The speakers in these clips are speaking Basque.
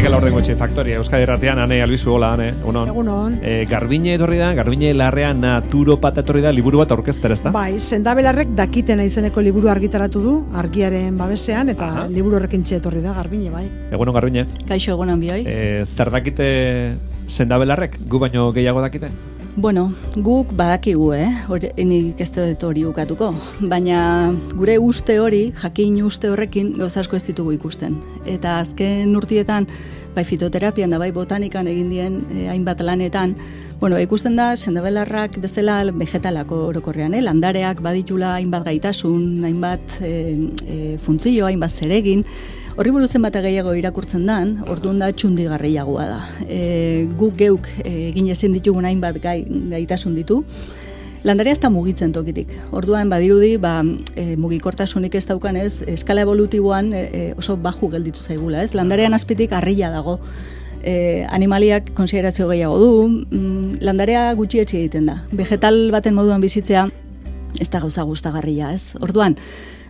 Mikel Aurrengotxe, Faktoria, Euskadi Erratean, Ane Albizu, hola, Ane, unon. Egunon. Garbine etorri da, Garbine Larrean naturopata etorri da, liburu bat aurkeztera, ezta? Bai, Sendabelarrek dakitena izeneko liburu argitaratu du, argiaren babesean, eta liburu horrekin etorri da, Garbine, bai. Egunon, Garbine. Kaixo, egunon bioi. Zer dakite Sendabelarrek, gu baino gehiago dakite? Bueno, guk badakigu, nik ez dut hori ukatuko, baina gure uste hori, jakin uste horrekin gauza asko ez ditugu ikusten. Eta azken urtietan, bai fitoterapian da bai botanikan egin dien hainbat lanetan, ikusten da sendabelarrak bezala vegetalako orokorrean, landareak baditula hainbat gaitasun, hainbat funtzio, hainbat zeregin. Horri buruzen bat gehiago irakurtzen dan, orduan da txundigarriagoa da. Guk geuk egin ezin ditugun hainbat gaitasun ditu. Landarea ez da mugitzen tokitik. Orduan badirudi, mugikortasunik ez daukanez, eskala evolutiboan oso baju gelditu zaigula, ez? Landarean azpitik harria dago. Animaliak konsiderazio gehiago du, landarea gutxietsi egiten da. Vegetal baten moduan bizitzea ez da gauza gustagarria, ez? Orduan,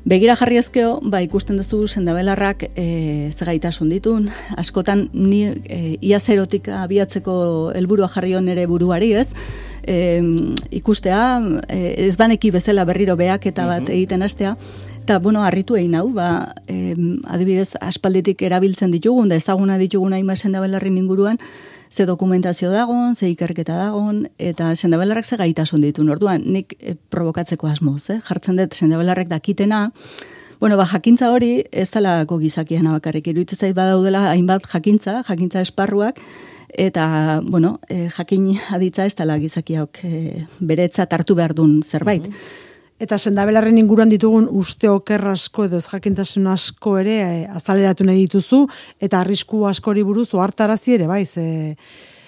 begira jarri ezkeo, ikusten duzu sendabelarrak zegaitasun ditun, askotan ni ia zerotik abiatzeko helburua jarri hon ere buruari, ez? Ikustea, ez baneki bezala berriro behaketa bat egiten hastea, eta, harritu egin hau, adibidez, aspalditik erabiltzen ditugun, da ezaguna ditugun hainbat sendabelarrin inguruan, ze dokumentazio dagon, ze ikerketa dagon, eta sendabelarrak ze gaitasun ditun. Orduan, nik provokatzeko asmoz, jartzen dut sendabelarrek dakitena, jakintza hori ez dalako gizakiena bakarrik, iruditzen zait badaudela hainbat jakintza esparruak, eta, jakin aditza ez dela gizakiak beretzat hartu behar duen zerbait. Eta sendabelarren inguruan ditugun uste oker asko edo ez jakintasun asko ere azaleratu nahi dituzu, eta arrisku askori buruz ohartarazi ere,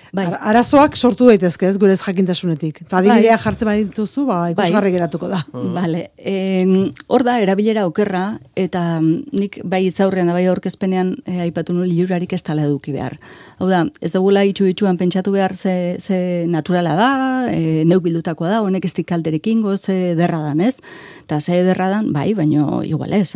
arazoak sortu daitezke ez gure ez jakintasunetik. Eta adibidea jartzen badituzu, ikusgarri geratuko da. Bale, hor da, erabilera okerra, eta nik bai itzaurrean da bai aurkezpenean aipatu nuen liurarik ez tala eduki behar. Hau da, ez dugula itxuan pentsatu behar ze naturala da, neuk bildutakoa da, honek ez dikalterekin ze derra dan, ez? Eta ze derra dan, baino igual ez,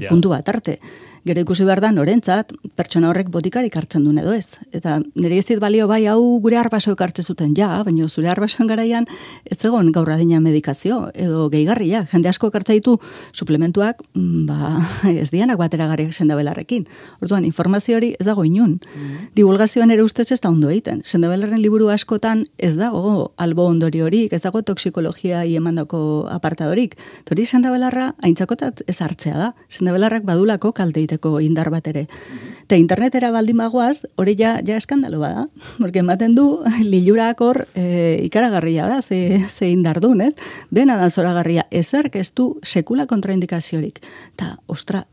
puntu bat arte. Gero ikusi behar da, norentzat, pertsona horrek botikarik hartzen duen edo ez. Eta nire ez dit balio hau gure arbasoek hartzen zuten, baina zure arbasoen garaian ez egon gaur adina medikazio, edo gehigarria. Jende asko hartzen ditu suplementuak, ez dianak bateragarriak sendabelarrekin. Orduan, informazio hori ez dago inun. Divulgazioan ere ustez ez da ondo egiten. Sendabelarren liburu askotan ez dago albo ondori horik, ez dago toksikologia emandako apartadorik. Hori sendabelarra aintzakotat ez hartzea da. Sendabelarrak badulako kalte indar bat ere. Eta internetera baldin bagoaz, hori ja eskandalo bada. Porque ematen du, lilurak hor ikaragarria da, ze indar duen, ez? Dena da zoragarria, ezerk ez du sekula kontraindikaziorik. Eta,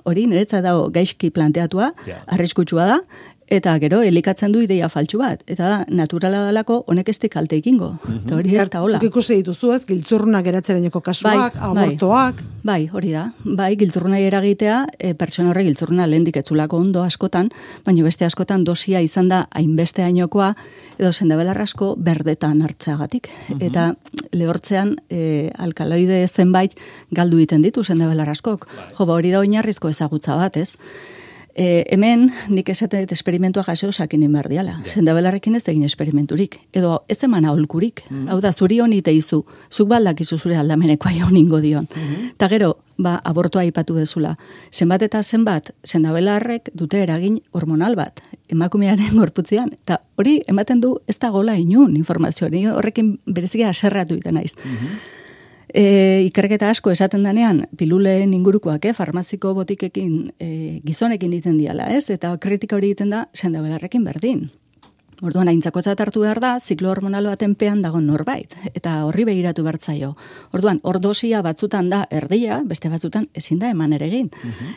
hori niretzat dago gaizki planteatua, arriskutsua da, eta gero elikatzen du ideia faltsu bat. Eta da, naturala dalako honek ez kalte ekingo. Eta hori ez da hola. Zuk ikusi dituzu ez, giltzurrunak eratzeraineko kasuak, abortoak. Bai, hori da. Bai, giltzurruna eragitea, pertsona horre giltzurruna lehendik etzulako ondo askotan, baina beste askotan dosia izan da hainbeste hainokoa, edo sendabelar asko berdetan hartzeagatik. Eta lehortzean alkaloide zenbait galdu egiten ditu sendabelar askok. Hori da oinarrizko ezagutza bat, ez? Hemen nik esatet esperimentua jaso sakinen behar diala. Sendabelarrekin ez egin esperimenturik. Edo ez eman aholkurik. Hau da, zuri honi teizu. Zuk baldakizu zure aldamenekoa honingo dion. Eta gero, abortoa aipatu dezula. Zenbat eta zenbat, sendabelarrek dute eragin hormonal bat. Emakumearen gorputzean. Eta hori ematen du ez da gola inun informazio. Horrekin berezikia aserratu iten naiz. Ikerketa asko esaten danean piluleen ingurukoak, farmaziko botikekin gizonekin egiten diala, ez? Eta kritika hori egiten da sendabelarrekin berdin. Orduan, aintzakotzat hartu behar da, ziklo hormonal baten pean dago norbait, eta horri begiratu bertzaio. Orduan, hor dosia batzutan da erdia, beste batzutan ezin da eman ere egin.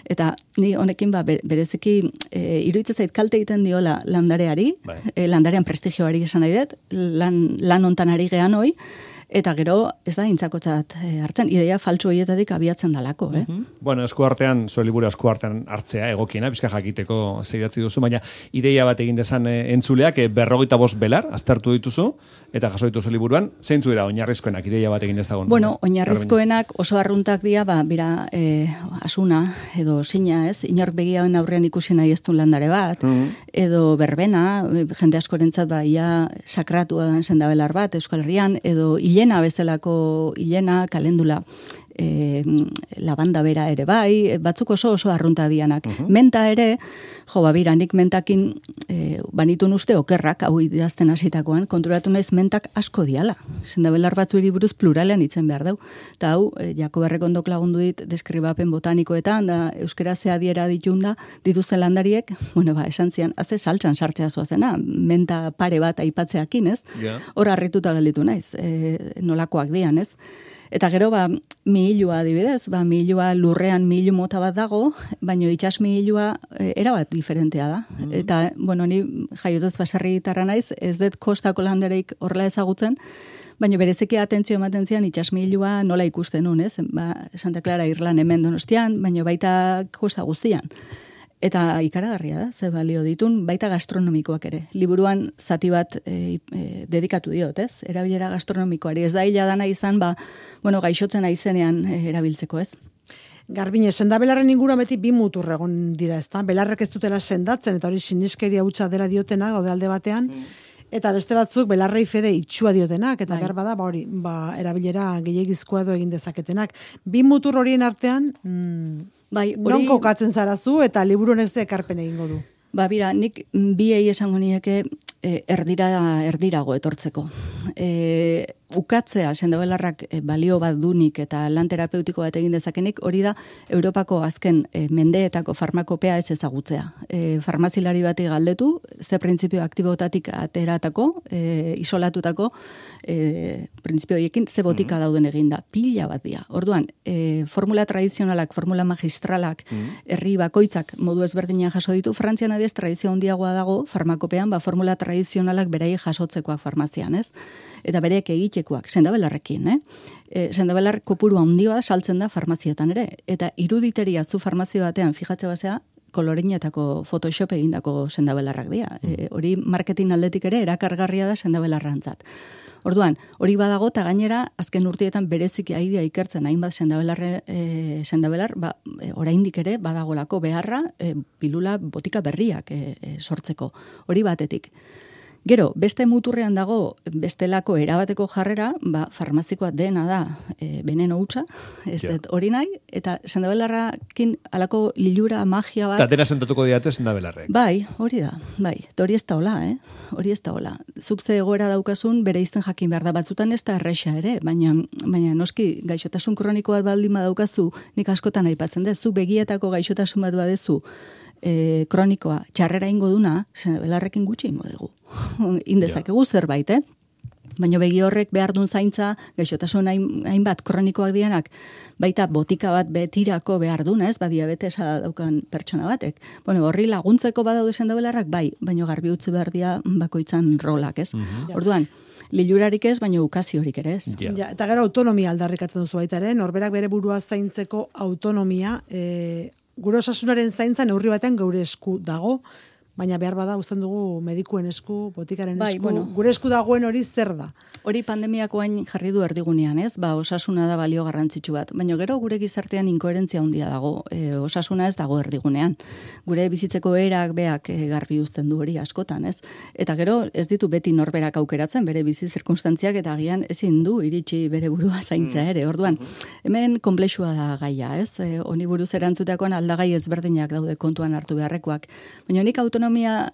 Eta ni honekin bereziki iruditzen zait kalte egiten diola landareari, landarean prestigioari esan nahi dut, lan hontan ari gehan hoi, Eta gero, ez da intzakotzat hartzen, ideia faltsu horietatik abiatzen dalako, Bueno, eskuartean, zure liburu eskuartean hartzea egokiena, bizka jakiteko zeidatzi duzu, baina ideia bat egin dezan entzuleak 45 belar, aztertu dituzu, eta jaso dituzu liburuan, zeintzu dira oinarrizkoenak ideia bat egin dezagun? Bueno, oinarrizkoenak oso arruntak dira, bera, asuna, edo sina, ez? Inork begiauen aurrean ikusi nahi ez du landare bat, edo berbena, jende askorentzat ia sakratua den sendabelar bat, Euskal Herrian, edo hilena bezalako hilena, kalendula, labanda bera ere bai, batzuk oso arrunta dianak. Menta ere, bira, nik mentakin banitun uste okerrak, hau idazten hasitakoan, konturatu naiz mentak asko diala. Sendabelar batzueri buruz pluralean hitzen behar dau. Eta hau, Jakob Errekondok lagundu dit deskribapen botanikoetan, da euskera adiera ditunda, dituzten landariek, esan zian, haze saltsan sartzea zoazena, menta pare bat aipatzeakin, ez? Hor harrituta gelditu naiz, nolakoak dian, ez? Eta gero, mihilua adibidez, mihilua lurrean mihilu mota bat dago, baino itsas mihilua erabat diferentea da. Eta, ni jaiotez baserri gitarra naiz, ez dut kostako landareik horrela ezagutzen, baina bereziki atentzio ematen zian itsas mihilua nola ikusten nun, ez? Santa Clara Irlan hemen Donostian, baina baita kosta guztian. Eta ikaragarria da, ze balio ditun, baita gastronomikoak ere. Liburuan zati bat dedikatu diot, ez? Erabilera gastronomikoari. Ez da hila dana izan, gaixotzen aizenean erabiltzeko, ez? Garbine, sendabelarren inguruan beti bi mutur egon dira, ezta? Belarrek ez dutela sendatzen, eta hori siniskeria hutsa dela diotena, gaude alde batean, eta beste batzuk belarrei fede itxua diotenak, eta behar bada, erabilera gehiagizkoa edo egin dezaketenak. Bi mutur horien artean, non kokatzen zarazu, eta liburu honek ze ekarpen egingo du? Bira, nik biei esango nieke erdirago etortzeko. Ukatzea sendabelarrak balio bat dunik eta lan terapeutiko bat egin dezakenik, hori da Europako azken mendeetako farmakopea ez ezagutzea. Farmazilari bati galdetu, ze printzipio aktibotatik ateratako, isolatutako printzipio horiekin ze botika dauden eginda. Pila bat dira. Orduan, formula tradizionalak, formula magistralak, herri bakoitzak modu ezberdinean jaso ditu, Frantzian adiez tradizio handiagoa dago farmakopean, formula tradizionalak berei jasotzekoak farmazian, ez? Eta bereek egitekoak, sendabelarrekin, sendabelar kopuru handia saltzen da farmazietan ere, eta iruditeria zu farmazio batean fijatze basea, kolorinetako Photoshop egindako sendabelarrak dira. Hori marketing aldetik ere erakargarria da sendabelarrantzat. Orduan, hori badago, eta gainera, azken urteetan bereziki aidea ikertzen hainbat sendabelar, oraindik ere badagolako beharra, pilula botika berriak sortzeko. Hori batetik. Gero, beste muturrean dago, bestelako erabateko jarrera, farmazikoa dena da veneno hutsa, ez dut hori nahi, eta sendabelarrakin alako lilura, magia bat... Tatera sentatuko diate sendabelarrek. Bai, hori da, bai. Hori ez da hola, Hori ez da hola. Zuk ze egoera daukazun, bere izten jakin behar da, batzutan ez da erresa ere, baina noski gaixotasun kroniko bat baldin badaukazu, nik askotan aipatzen dut, zuk begietako gaixotasun bat badezu, kronikoa, txarrera ingo duna, sendabelarrekin gutxi ingo dugu. Indezakegu zerbait, Baina begi horrek behar duen zaintza, gaixotasun hainbat kronikoak dianak, baita botika bat betirako behar duna, ez? Diabetesa daukan pertsona batek. Horri laguntzeko badaude sendabelarrak, bai, baina garbi utzi behar dia bakoitzan rolak, ez? Orduan, lilurarik ez, baina ukaziorik ere ez. Eta gero autonomia aldarrikatzen duzu baita ere, norberak bere burua zaintzeko autonomia, gure osasunaren zaintza neurri batean geure esku dago, baina behar bada uzten dugu medikuen esku, botikaren esku, gure esku dagoen hori zer da? Hori pandemiakoain jarri du erdigunean, ez? Osasuna da balio garrantzitsu bat. Baina gero gure gizartean inkoherentzia handia dago. Osasuna ez dago erdigunean. Gure bizitzeko erak beak garbi uzten du hori askotan, ez? Eta gero ez ditu beti norberak aukeratzen, bere bizi zirkunstantziak eta agian ezin du iritsi bere burua zaintza ere. Orduan, hemen konplexua da gaia, ez? Honi buruz erantzuteakoan aldagai ezberdinak daude kontuan hartu beharrekoak. Baina nik autonomia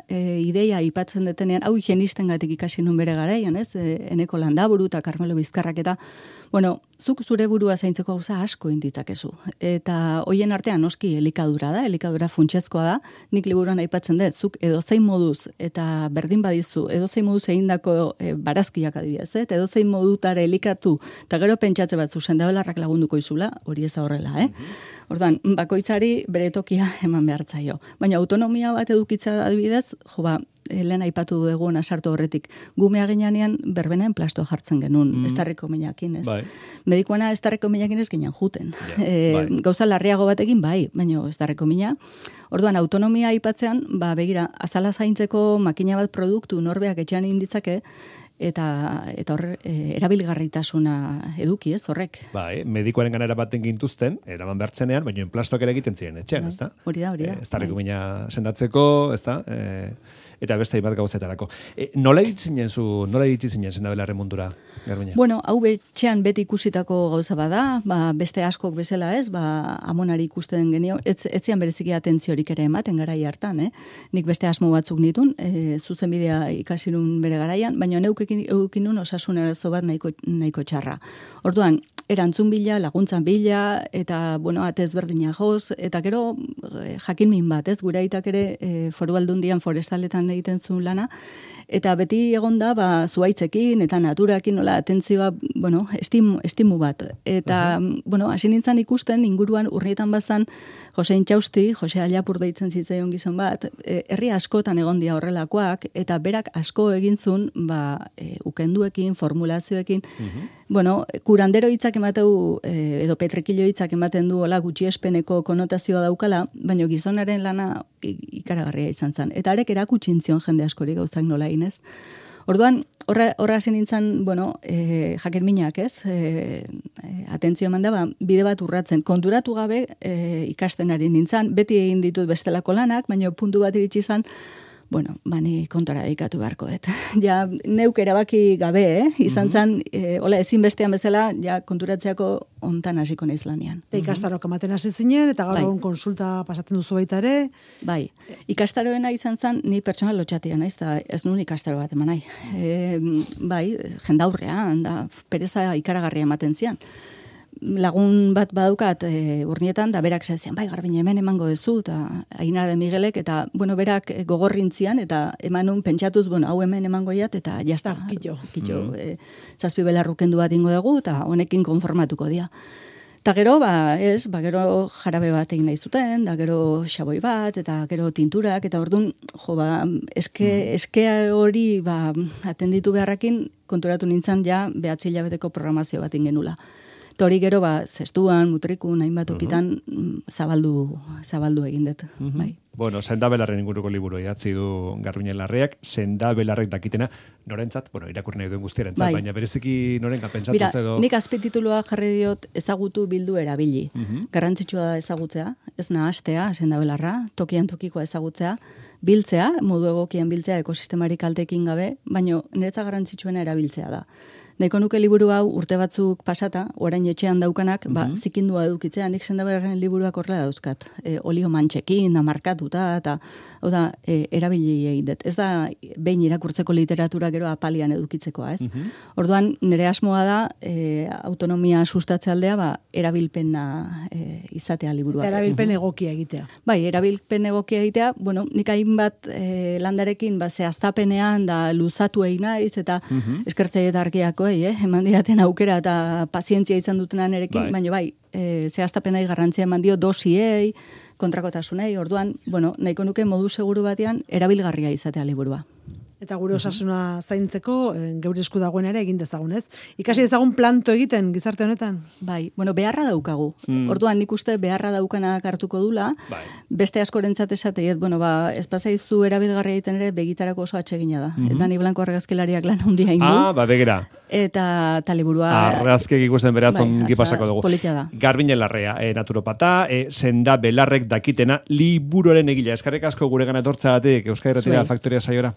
ideia aipatzen detenean, hau higienistengatik ikasi nun bere garaian, ez? Eneko Landaburu eta Carmelo Bizkarrak eta, zuk zure burua zaintzeko gauza asko inditzakezu. Eta hoien artean noski elikadura da, elikadura funtsezkoa da, nik liburuan aipatzen dut, zuk edozein moduz eta berdin badizu, edozein moduz egindako barazkiak adibidez, eta edozein modutare elikatu, eta gero pentsatze batzu sendabelarrak lagunduko izula, hori ez da horrela, Orduan, bakoitzari bere tokia eman behartzaio. Baina autonomia bat edukitza adibidez, lehen aipatu dugu sartu horretik. Gumea ginean berbenen plastoa jartzen genuen, estarriko minakin, ez? Bai. Medikuana estarriko minakin ez ginen juten. Gauza larriago batekin, bai, baina estarriko mina. Orduan, autonomia aipatzean, begira, azala zaintzeko makina bat produktu norbeak etxean inditzake, eta hor erabilgarritasuna eduki, ez, horrek. Bai, medikoaren ganera baten gintuzten, eraman behartzenean, baina enplastoak ere egiten ziren etxean, ez da? Hori da. Estarriko mina sendatzeko, ez da? Eta beste bat gauzetarako. Nola iritsi zinen sendabelarren mundura, Garbiña? Bueno, hau betxean beti ikusitako gauza bada, beste askok bezala ez, amonari ikusten genio, etzian bereziki atentziorik ere ematen garai hartan, Nik beste asmo batzuk nitun, zuzenbidea ikasirun bere garaian, baina eukinun osasun arazo bat nahiko txarra. Orduan, erantzun bila, laguntzan bila, eta, atez berdina joz, eta gero jakin min bat, ez, gure aitak ere Foru Aldundian forestaletan egiten zuen lana, eta beti egonda, zuaitzekin eta naturakin, nola, atentzioa, estimu bat. Eta, hasi nintzen ikusten, inguruan urrietan bazan, Jose Intxausti, Jose Allapur deitzen zitzaion gizon bat, herri askotan egon dia horrelakoak, eta berak asko egintzun, ukenduekin, formulazioekin, kurandero hitzak emateu, edo petrekilo hitzak ematen du hola gutxiespeneko konotazioa daukala, baina gizonaren lana ikaragarria izan zen. Eta arek erakutxintzion jende askori gauzak nola inez. Orduan, horra hasi nintzen, jakin minak, ez? Atentzio eman da, bide bat urratzen. Konturatu gabe ikasten ari nintzen, beti egin ditut bestelako lanak, baina puntu bat iritsi izan, ni kontara dedikatu beharko dut. Ja, neuk erabaki gabe, izan zen, ezin bestean bezala, ja, konturatzeako ontan hasiko naiz lanean. Ikastarok ematen hasi zinen, eta gaur egun konsulta pasatzen duzu baita ere. Bai, ikastaroena izan zen, ni pertsonal lotxatia naiz, eta ez nuen ikastaro bat eman nahi. Jendaurrean, pereza ikaragarria ematen zian. Lagun bat badaukat urnietan, da berak zian, Garbiña hemen emango dezu, eta Ainara de Miguelek, eta, berak gogorrintzian, eta emanun pentsatuz, hau hemen emango jat, eta jazta. Kitxo. Zazpi belarrukendu bat ingo dugu, eta honekin konformatuko dia. Eta gero, gero jarabe bat egin nahi zuten, da gero xaboi bat, eta gero tinturak, eta orduan, eskea hori atenditu beharrakin, konturatu nintzen ja, 9 hilabeteko programazio bat ingenula. Hori gero, zestuan, mutrikun, hainbat okitan, zabaldu egin dut. Bai. Sendabelarren inguruko liburu idatzi du Garbiña Larreak, sendabelarrek dakitena, norentzat, irakurri nahi duen guztierentzat, baina bereziki norenka pentsatuz edo... Nik azpititulua jarri diot ezagutu bildu erabili. Garrantzitsua da ezagutzea, ez nahastea, sendabelarra, tokian tokikoa ezagutzea, biltzea, modu egokian biltzea, ekosistemarik kaltekin gabe, baina niretza garrantzitsuena erabiltzea da. Nahiko nuke liburu hau urte batzuk pasata, orain etxean daukanak, zikindua edukitzea, nik sendabelarren liburuak horrela dauzkat. Olio mantxekin, markatuta, eta erabili egin dut. Ez da behin irakurtzeko literatura gero apalian edukitzekoa, ez? Orduan, nire asmoa da, autonomia sustatze aldea, erabilpena izatea liburuak. Erabilpen egokia egitea. Bai, erabilpen egokia egitea, nik hainbat landarekin, zehaztapenean, da luzatu egin naiz, eta eskertzaile eta argiako, eman diaten aukera eta pazientzia izan dutenan erekin, baina zehaztapenai garrantzia eman dio dosiei, kontrakotasunei, orduan, nahiko nuke modu seguru batean erabilgarria izatea liburua. Eta gure osasuna zaintzeko, geure esku dagoen ere egin dezagun, ez? Ikasi dezagun planto egiten, gizarte honetan? Bai, beharra daukagu. Orduan nik uste beharra daukanak hartuko dula, beste askorentzat esateiet, espazaizu erabilgarria egiten ere begitarako oso atsegina da. Eta ni Blanco argazkilariak lan handia egin du. Begira. Eta liburua... Argazkek ikusten beraz ongi pasako dugu. Politia da. Garbiña Larrea, naturopata, sendabelarrek dakitena, liburuaren egila. Eskerrik asko gure gana etortzagatik, Euskal Herria Faktoria saiora.